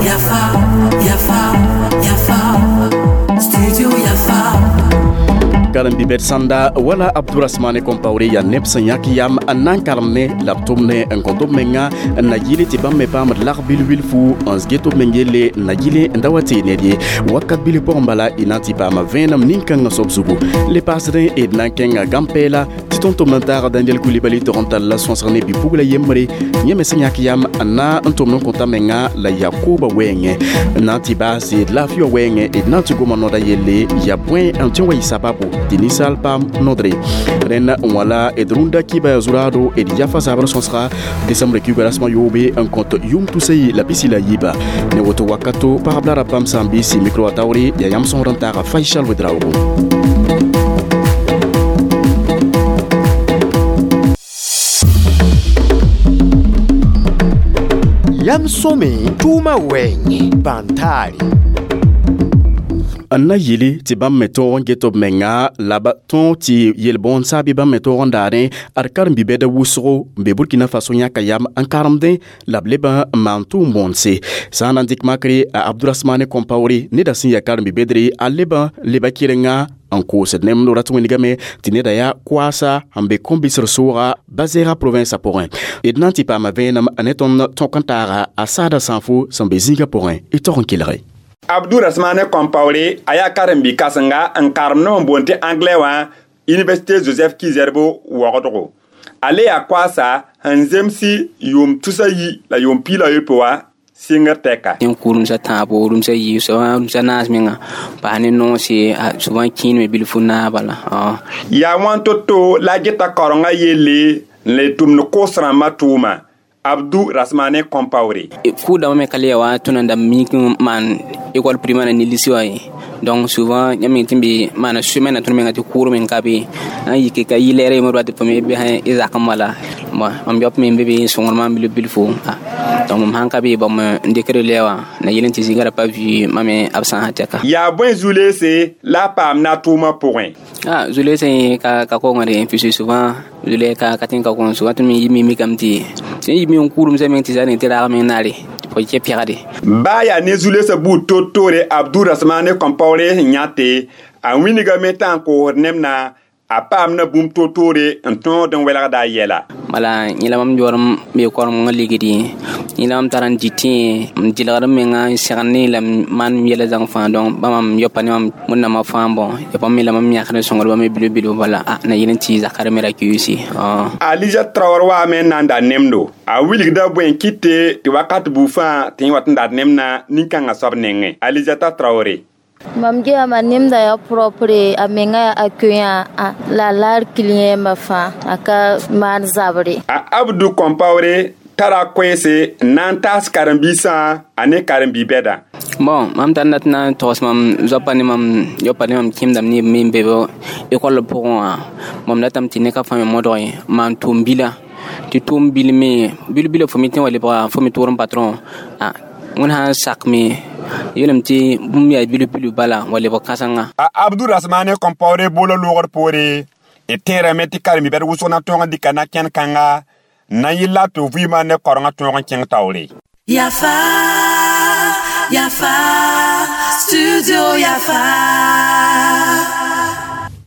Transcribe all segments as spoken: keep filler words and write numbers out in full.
Yafa, Yafa, Yafa, Studio Yafa. Karen-bi-bɛd sãnda wala Abdourasmane Compaoré yaa neb sẽn yãk yam n na n karem ne la b tʋm ne n kõ tɩ b menga n na yɩle tɩ bãmb me paamd lag bil wilfu n get b meng yelle n na yɩle n da wa tee ned ye wakat bil pʋgẽ bala y na n tɩ paama vẽenem nin-kãngã soab zugu le paasdẽ d na n kẽnga gãn-pɛɛla tɩ tõnd-tʋmd n taaga Daniel Coulibaly tog n tall la sõsg ne bi-pugla yembre yẽ me sẽn yãk yam n na n tʋmd n kõta menga la yaa kooba wɛɛngẽ n na n tɩ baase d laafɩ wã wɛɛngẽ d na n tɩ goma noda yelle yaa bõe n tõe n wa yɩ sababu tɩ ninsaal paam nodre rẽnd n wala d rũndã kiba yaa zuraado d yafa zabr sõsga desembre kiuga rasmã yoobe n kõt yʋm tusa yi la pisi la yiiba ne woto wakato pagb la ra bãmb sã n biisi mikro wã taoore yaa yãmb sõsd n taaga Faisal Ouedraogo. Yam sõme tʋʋmã wɛɛngẽ bãn-taare. N na yɩle tɩ bãmb me tõog n get b menga la b tõog tɩ yel-bõond saabi bãmb me tõog n daadẽ ad karen-bi-bɛda wʋsgo n be Burkina Faso yãka yam n karemdẽ la b leb n maan tʋʋm bõondse sã n na n dɩk makre a Abdourasmane Compaoré neda sẽn yaa karen-bi-bɛdre a leb n leba kɩrenga n koosd nemdo rat wĩnigame tɩ neda yaa koaasa n be kõn-bɩsr sooga Bazɛɛga province pʋgẽ d na n tɩ paama vẽenem ne tõnd tõk n taaga a saada sãnfo sẽn be zĩigã pʋgẽ y tog n kelge. Abdourasmane Compaoré a yaa karen-bi-kãsenga n karem ne n boond tɩ anglais wã Université Joseph Ki-Zerbo waoogdgo. A le yaa koaasa sẽn zemsi yʋʋm tusa yi la yʋʋm piig la yopoe wã sɩngr tɛka. Tẽn kʋ rũmsa tãabo, rũmsa yiib, souvent rũmsa naas menga paas ne noose, souvent kẽenme bilfu naas bala. Yaa wãn to-to la a geta kaorengã yelle n le tʋmd koos rãmbã tʋʋma. Abdou Rasmane Compaoré. Kʋʋdãmbã me ka le ya wa tõnd n da mik n maan école primaire ne lycée wã ye. Donc souvent yãmb meng tɩ n be maana semaine na tõnd menga tɩ kʋʋr meng ka be n yike ka yɩ lɛɛrã yembr tɩ fo me bɩ y zakẽ wala bon mam yop me n be be n sõngd maam bilf bilfo. Donc mam sãn ka be bãmb n dɩkd lɛ wã na yel n tɩ zĩigã ra pa vɩ mam me b sãn tɛka. Yaa bõe zu-leese la a paam na tʋʋmã pʋgẽ? Ah zu-leese ka ka kongre puisque souvent zu-lɛɛ ka ka tẽn ka kong souvent tõnd me yɩ mikame tɩ sẽn yɩ me n kʋʋremsã meng tɩ zã ne tɩ raag meng naare fo kɛ pɛgde. Baa yaa ne zu-leesã buud to-toore Abdourasmane Compaoré sẽn yãte a wĩnigame t'a n koosd nemna a paam na bũmb to-toore n tõod n welgda a yɛla. Bala yẽla mam yaoor n be korem n ligdi yẽla mam tar n dɩtẽ n dɩlgd m menga n segd ne la m maan yɛla zãng fãa donc bãmb mam yopa ne mam wẽnnaamã fãa bõ ya bãmb me la mam yãkd n sõngd bãmb bilf bilf bala a na yel n tɩ zakar me ra kiuusi. Alija Traoré waame n na n da nemdo a wilgda bõe n kɩte tɩ wakat buu fãa tɩ yẽ wat n dat nemna nin-kãngã soab nengẽ. Alizata Traoré. Mam gema nemda ya propre a menga accueillant la lar client ma fãa a ka maan zabre. A Abdou Compaoré tara koɛɛse n na n taas karen-biisã a ne karen-bi-bɛda. Bon mam tar na tɩ na n togs mam zoapa ne mam yopa ne mam kẽemdame ne b me n be école pʋgẽ wã mam datame tɩ ne ka fãa me modg ye maan tʋʋm bila tɩ tʋʋm bil me bil bila fo me tẽ wa lebga fo me tʋʋr n patron a wẽnd sã n sak me yeelame tɩ bũmb yaa bilf bilf bala wa lebg kãsenga. A Abdourasmane Compaoré boola loogr poore d tẽerame tɩ karen-bi-bɛd wʋsg na tõog n dɩka na-kẽn kãnga n na n yɩl la tɩ vɩɩmã ne kaorengã tõog n kẽng taoore. Yafa, Yafa, Studio Yafa.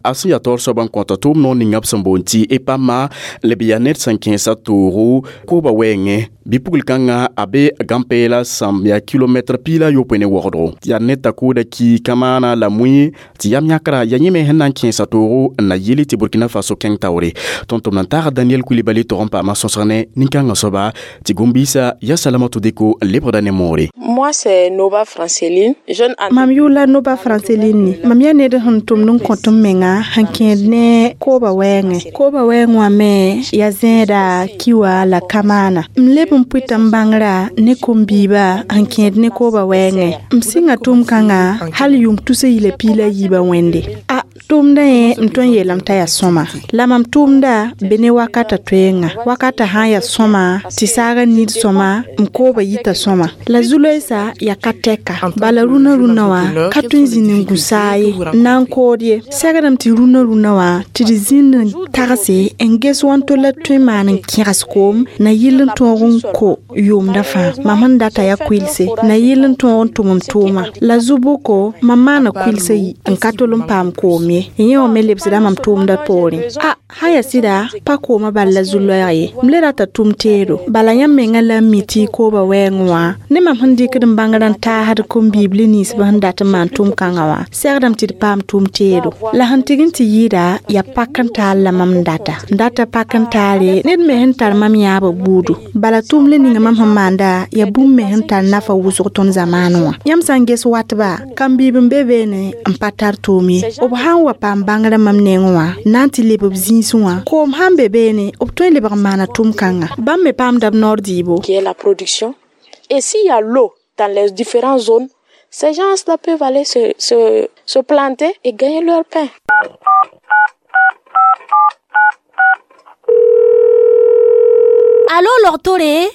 A sẽn yaa taoor soab n kõta tʋʋm noor ninga b sẽn boond tɩ EPAMA leb yaa ned sẽn kẽesa toogo kooba wɛɛngẽ bɩ-pugl kãngã a be gãn-peelã sãmb yaa kilomɛtr piig la yopoe ne waoogdgo yaa ned t'a kooda ki kamaana la mũi tɩ yam yãkra yaa yẽ me sẽn na n kẽesa toogo n na yɩl tɩ Burkina Faso kẽng taoore tõnd-tʋmd n taag Daniel Coulibaly tog n paama sõsg ne nin-kãngã soaba tɩ gom-biisã yaa Salamatou Deko n lebgda ne moore. Moi c'est Nova Franceline, jeune Mam yʋʋla Nova Franceline mam yaa ned sẽn tʋmd n kõt m menga sẽn kẽed ne kooba wɛɛngẽ kooba wɛɛng wã me yaa zẽeda kiwa la kamaana m leb n pʋɩta n bãngrã ne kom-biibã sẽn kẽed ne kooba wɛɛngẽ m sɩnga tʋʋm kãngã hal yʋʋm tusa yi la piig la yiibã wẽnde a Tʋʋmdã yẽ m tõe n yeelame t'a yaa sõma la mam tʋʋmda be ne wakata toeenga wakata sã n yaa sõma tɩ saagã nid sõma m koobã yita sõma la zu-loeesa yaa ka tɛka bala rũnã rũnã wã ka tõe n zĩnd n gũ saa ye n na n kood ye segdame tɩ rũnã rũnã wã tɩ d zĩnd n tagse n ges wãnto la tõe n maan n kẽgs koom na yɩl n tõog n ko yʋʋmdã fãa mam sẽn data yaa kʋɩlse na yɩl n tõog n tʋm m tʋʋma la zu-bʋko mam maana kʋɩlsã yi n ka tol n paam koom ye yẽ wã me lebsda mam tʋʋmdã poorẽ a sã yaa sɩda pa koomã bal la zu-loɛɛg ye m le rata tʋm teedo bala yãmb menga la n mi tɩ y koobã wɛɛngẽ wã ne mam sẽn dɩkd n bãngr n taasd kom-biibli ninsbã sẽn dat n maan tʋʋm-kãngã wã segdame tɩ d paam tʋʋm teedo la sẽn tɩg n tɩ yɩɩda yaa pak n taal la mam n data n data pak n taare ned me sẽn tar mam yãabã buudu bala tʋʋm le ninga mam sẽn maanda yaa bũmb me sẽn tar nafa wʋsg tõnd zamaanẽ wã yãmb sã n ges watba kam-biib n be beene n pa tar tʋʋm ye b sã n wa paam bãngrã mam nengẽ wã na n tɩ leb b zĩisẽ wã koom sã n be beene b tõe n lebg n maana tʋʋm-kãnga bãmb me paamda b noor dɩɩbo. Qui est la production. Et s'il y a l'eau dans les différentes zones, ces gens-là peuvent aller se, se, se planter et gagner leur pain. Allô, logtore?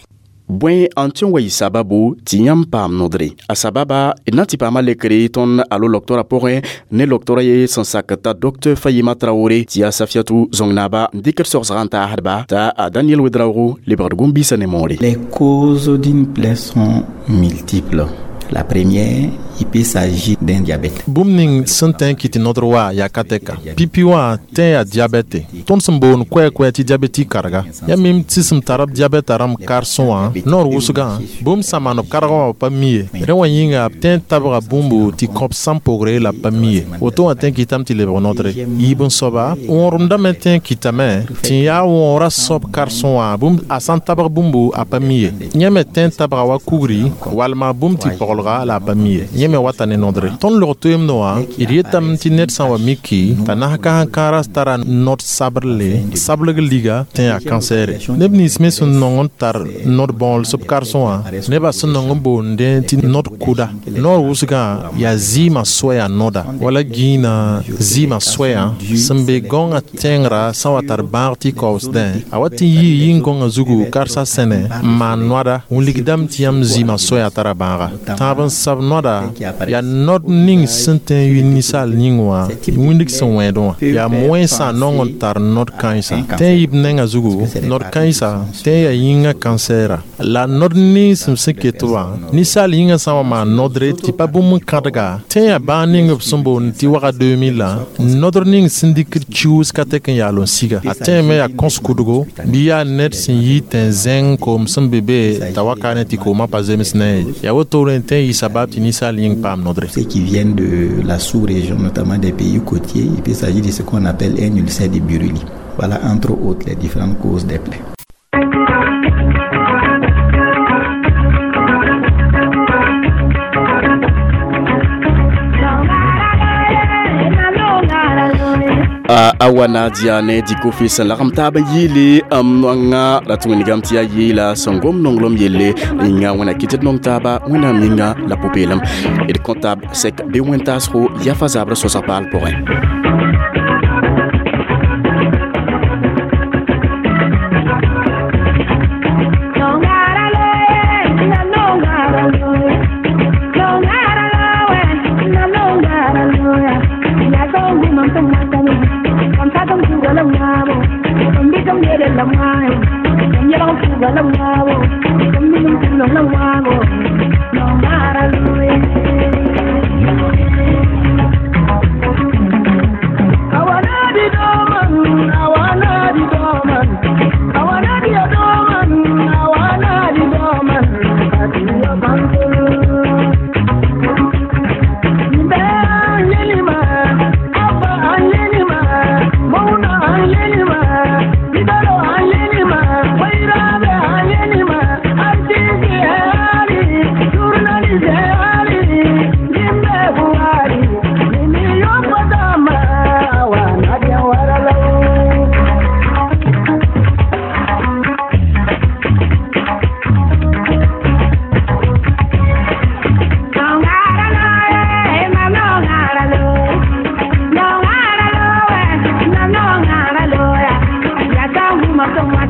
Bõe n tõe n wa yɩ sababu tɩ yãmb paam nodre a sababa d na n tɩ paama lekre tõnd alo loktora pʋgẽ ne loktora ye sẽn sak t'a docteur Fayima Traoré tɩ yaa Safiatou zõng-naaba n dɩkd sogsgã n taasdba t'a a Daniel Ouedraogo lebgd gũm-biisã ne moore. Les causes d'une plaie sont multiples. La première, il peut s'agir d'un diabète. Bũmb ning sẽn tõe n kɩt tɩ nodr wa yaa ka tɛka pipi wã tẽ yaa diabɛte. Tõnd sẽn boond koɛɛ-koɛɛ tɩ diabɛtik karga yaa mim tɩ sẽn tar b diabɛta rãmb karsẽ wã noor wʋsgã bũmb sã maan b kargã wã b pa mi ye rẽ wã yĩnga b tõe n tabga bũmbu tɩ kõb sãn pogre la b pa mi ye woto wã tõe n kɩtame tɩ lebg nodre yiib n soaba wõoremdã me tõe n kɩtame tɩ n yaa wõora soab karsẽ wã bũmb a sã n tabg bũmbu a pa mi ye yẽ me tõe n tabga wa kugri walma bũmb tɩ paglga la a pa mi ye yẽ me wata ne nodre tõnd log toeemdẽ wã d yetame tɩ ned sã n wa miki t'a nas ka sẽn kãara tara nod sabrle sableg liga tẽ yaa kansɛɛre neb nins me sẽn nong n tar nod bãools b karsẽ wã nebã sẽn nong n boondẽ tɩ nod kʋda noor wʋsgã yaa zɩɩmã soɛya noda wala gĩinã zɩɩmã soɛyã sẽn be gãongã tẽngrã sã n wa tar bãag tɩ kaoosdẽ a wa tɩ yii yĩn-gõngã zugu karsã sẽne n maan noada wilgdame tɩ yãmb zɩɩmã soɛyã tara bãaga tãab n sab noada yaa nod ning sẽn tõe n yɩ ninsaal yĩng wã wĩndg sẽn wẽedẽ wã yaa moensã nong n tar nod kãensa tõe n yɩ b nengã zugu nod kãensa tõe n yaa yĩngã kansɛɛra la nod ninsem sẽn ket wã ninsaal yĩngã sã n wa maan nodre tɩ pa bũmb n kãdga tõe n yaa bãag ning b sẽn boond tɩ waga deux mille la nodr ning sẽn dɩkd kiuus ka tɛk n yaal n siga a tõe me yaa kõs kudgo bɩ yaa ned sẽn yi tẽn-zẽng koom sẽn be be t'a waka ne tɩ koomã pa zems ne ye yaa wotore n tõe n yɩ sabab tɩ ninsaal yĩng paam nodre. Ceux qui viennent de la sous-région, notamment des pays côtiers, il peut s'agir de ce qu'on appelle un ulcère de Buruli. Voilà entre autres les différentes causes des plaies. A wa nadia ne dikofi sẽn lagem taab n yɩɩle m noanga ra tɩ wĩnigame tɩ yaa yeela sẽn gom nonglem yelle yĩnga wẽna kɩt d nong taaba wẽnnaam yĩnga la pʋ-peelem d kõ taab sɛk bɩ wẽn-taasgo yafa zabrã sõsg paal pʋgẽ. Wait.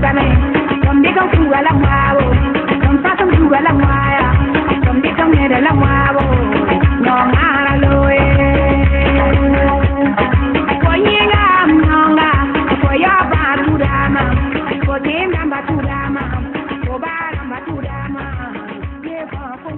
pʋgame tõm dɩk n fuuga la wãabo tõm sas n fuuga la wãaya tõm dɩk n wẽda la wãabo yõ-ãara loe fo yẽnga m yõnga fo yao bãa tudama fo tẽem rãmba tudama fo baa rãmba tudama yee fãa fo